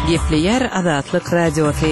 Gepleýär Azatlyk Radiosy.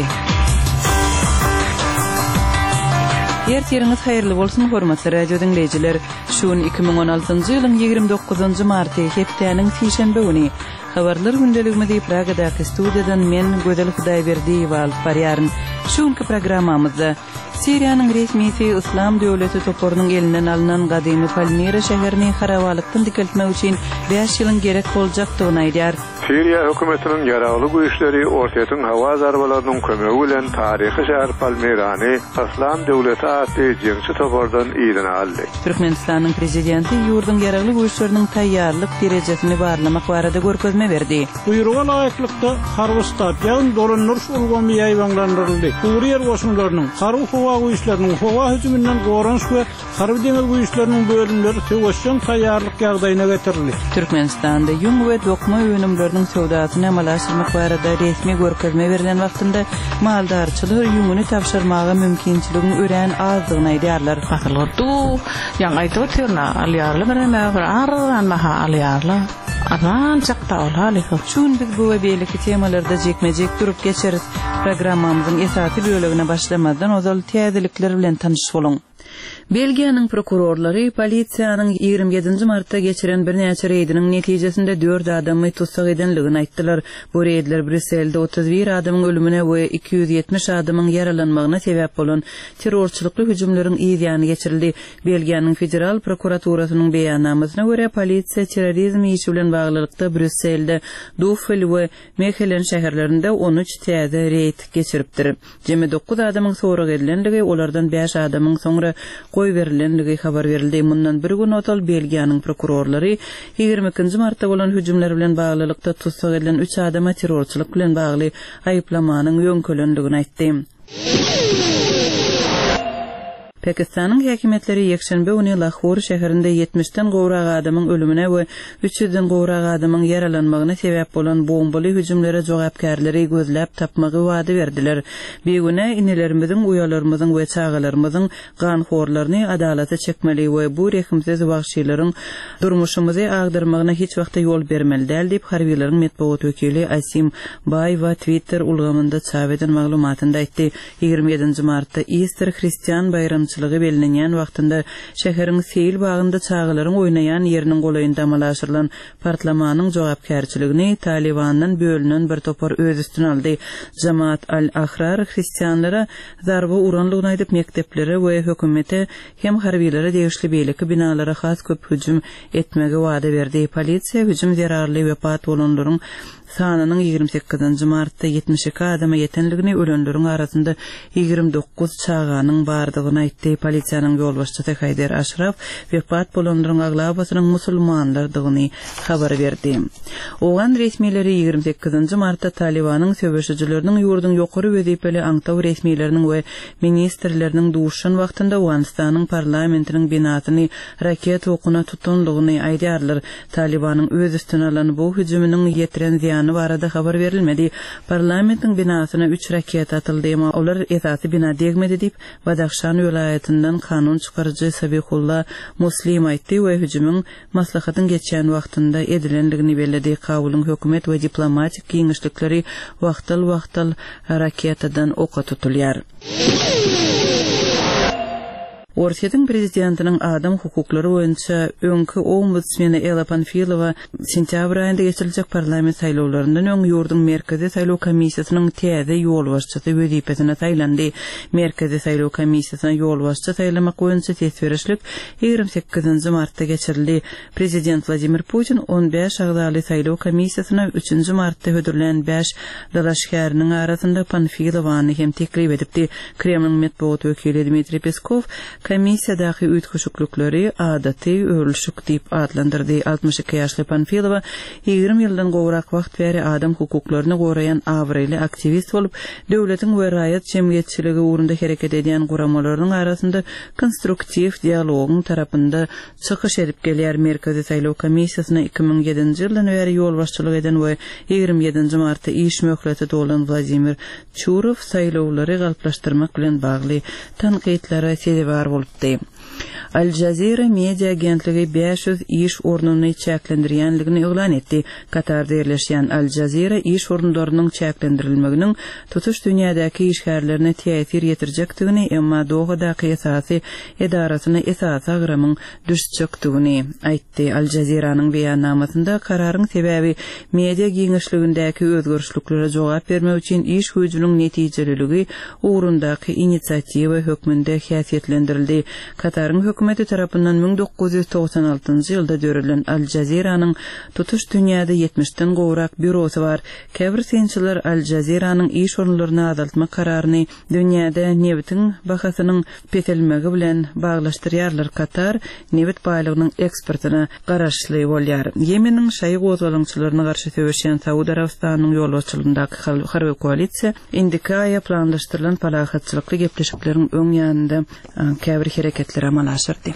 Ertiriňiz haýyrly bolsun, hormatly radio diňleýjiler! Şu gün 2016-njy ýylyň 29-njy marty, hepdäniň sişenbe güni. Habarlar gündeligimizi Pragadaky studiýadan men, Gözel Hudaýberdiýewa alyp barýaryn. Şu günki programmamyzda, Siriýanyň resmisi Yslam döwleti toparynyň elinden alnan gadymy Palmira şäherini harabalykdan dikeltmek üçin bäş ýylyň gerek boljakdygyny aýdýar. Siriýa hökümetiniň ýaragly güýçleri Orsýetiň howa zarbalarynyň kömegi bilen taryhy şäher Palmirany Yslam döwleti atly jeňçi topardan yzyna aldy. Türkmenistanyň Prezidenti ýurduň Ýaragly Güýçleriniň taýýarlyk derejesini barlamak barada görkezme berdi. Buýruga laýyklykda, harby ştab, ýagny dolandyryş ulgamy ýaýbaňlandyryldy, gury ýer goşunlarynyň, harby-howa güýçleriniň, howa hüjüminden goranyş we harby-deňiz güýçleriniň bölümleri söweşjeň taýýarlyk ýagdaýyna getirildi. Türkmenistanda ýüň we dokma önümleriniň söwdasyny amala aşyrmak barada resmi görkezme berlen wagtynda maldarçylar ýüňüni tabşyrmaga mümkinçiligiň örän azdygyny aýdýarlar. Asyl du, ýaňy aýdyp otyryn-a, alýarlar birneme bir arzan baha alýarlar. Arzanjak da ol halypa. Şu gün biz bu we beýleki temalarda jikme-jik durup geçeris. Programmamyzyň esasy bölegine başlamazdan ozal täzelikler bilen tanyş boluň. Belgiýanyň prokurorlary polisiýanyň 27 nji martda geçiren birnäçe reýdiniň netijesinde dört adamy tussag edenligini aýtdylar. Bu reýdler Brýusselde 31 adamyň ölümine we 270 adamyň ýaralanmagyna sebäp bolan terrorçylykly hüjümleriň yz ýany geçirildi. Belgiýanyň Federal prokuraturasynyň beýannamasyna görä, polisiýa terrorizm işi bilen baglylykda Brýusselde, Duffel we Mehelen şäherlerinde 13 täze reýd geçiripdir. Jemi dokuz adamyň sorag edilenligi, olardan bäş adamyň soňra goýberilendigi habar berildi. Mundan bir gün ozal Belgiýanyň prokurorlary 22 nji martda bolan hüjümler bilen baglylykda tussag edilen üç adama terrorçylyk bilen bagly aýyplamanyň ýöňkelendigini aýtdy. Pakistanyň häkimiýetleri ýekşenbe güni Lahor şäherinde ýetmişden gowrak adamyň ölümine we üç ýüzden gowrak adamyň ýaralanmagyna sebäp bolan bombaly hüjümlere jogapkärleri gözläp tapmagy wada berdiler. Bigünä inilerimiziň, uýalarymyzyň we çagalarymyzyň ganhorlaryny adalata çekmeli we bu rehimsiz wagşylaryň durmuşymyzy agdarmagyna hiç wagtda ýol bermeli däl diýip, harbylaryň metbugat wekili Asim Baýwa Twitter ulgamynda çap eden maglumatynda aýtdy. 27 nji martda Ister hristian baýramçylygy bellenýän wagtynda şäheriň seýil bagynda çagalaryň oýnaýan ýeriniň golaýynda amala aşyrylan partlamanyň jogapkärçiligini Talybandan bölünen bir topar öz üstüne aldy. Jamaat al-Ahrar hristianlara zarba uranlygyny aýdyp, mekdeplere we hökümete hem harbylara degişli beýleki binalara has köp hüjüm etmegi wada berdi. Polisiýa hüjüm zerarly wepat bolanlaryň sanynyň 28 nji martda 72 adama ýetenligini, ölenleriň arasynda 29 çaganyň bardygyny aýtdy. Polisiýanyň ýolbaşçysy Haýder Aşraf wepat bolanlaryň aglabasynyň musulmanlardygyny habar berdi. Owgan resmileri 28 nji martda Talybanyň söweşijileriniň ýurduň ýokary wezipeli aňtaw resmileriniň we ministrleriniň duşuşan wagtynda Owganystanyň parlamentiniň binasyny raketa okuna tutandygyny aýdýarlar. Talybanyň öz üstüne alan bu hüjüminiň ýetiren zyýany barada habar berilmedi. Parlamentiň binasyna üç raketa atyldy, emma olar esasy bina degmedi diýip, Badahşan welaýatyndan kanun çykaryjy Sabihulla Muslim aýtdy we hüjümiň maslahatyň geçýän wagtynda edilendigini belledi. Kabulyň hökümet we diplomatik giňişlikleri wagtal-wagtal raketadan oka tutulýar. Orsýetiň prezidentiniň adam hukuklary boýunça öňki ombudsmeni Ella Panfilowa sentýabr aýynda geçiriljek parlament saýlawlaryndan öň ýurduň Merkezi saýlaw komissiýasynyň täze ýolbaşçysy wezipesine saýlandy. Merkezi saýlaw komissiýasyna ýolbaşçy saýlamak boýunça ses berişlik 28 nji martda geçirildi. Prezident Wladimir Putin 15 agzaly saýlaw komissiýasyna üçünji martda hödürlän bäş dalaşgäriniň arasynda Panfilowany hem teklip edipdi. Kremliň metbugat wekili Dmitriý Peskow komissiýadaky üýtgeşiklikleri adaty öwrülişik diýip atlandyrdy. 62 ýaşly Panfilowa 20 ýyldan gowrak wagt bäri adam hukuklaryny goraýan abraýly aktiwist bolup, döwletiň we raýat jemgyýetçiligi ugrunda hereket edýän guramalarynyň arasynda konstruktiw dialogyň tarapynda çykyş edip gelýär. Merkezi saýlaw komissiýasyna 2007-nji ýyldan bäri ýolbaşçylyk eden we 27 nji martda iş möhleti dolan Wladimir Çurow saýlawlary galplaşdyrmak bilen bagly tankytlara sezewar bolupdy. Al Jazeera media agentligi 500 iş ornuny çäklendirýänligini yglan etdi. Katarda ýerleşýän Al Jazeera iş orunlarynyň çäklendirilmeginiň tutuş dünýädäki işgärlerine täsir ýetirjekdigini, emma Dohadaky esasy edarasyna esasy agramyň düşjekdigini aýtdy. Al Jazeera-nyň beýannamasynda kararyň sebäbi media giňişligindäki özgerişliklere jogap bermek üçin iş güýjüniň netijeliligi ugrundaky inisiatiwa hökmünde häsiýetlendirildi. Kataryň hökümeti tarapyndan 1996-njy ýylda döredilen Al Jazeera-nyň tutuş dünýäde ýetmişden gowrak býurosy bar. Käbir synçylar Al Jazeera-nyň iş orunlaryny azaltmak kararyny dünýäde nebitiň bahasynyň peselmegi bilen baglaşdyrýarlar. Katar nebit baýlygynyň eksportyna garaşly bolýar. Ýemeniň şaýy gozgalaňçylaryna garşy söweşýän Saud Arabystanynyň ýolbaşçylygyndaky harby koalisiýa indiki aýa planlaşdyrylan parahatçylykly gepleşikleriň öň ýanynda käbir hereketleri amala aşyrdy.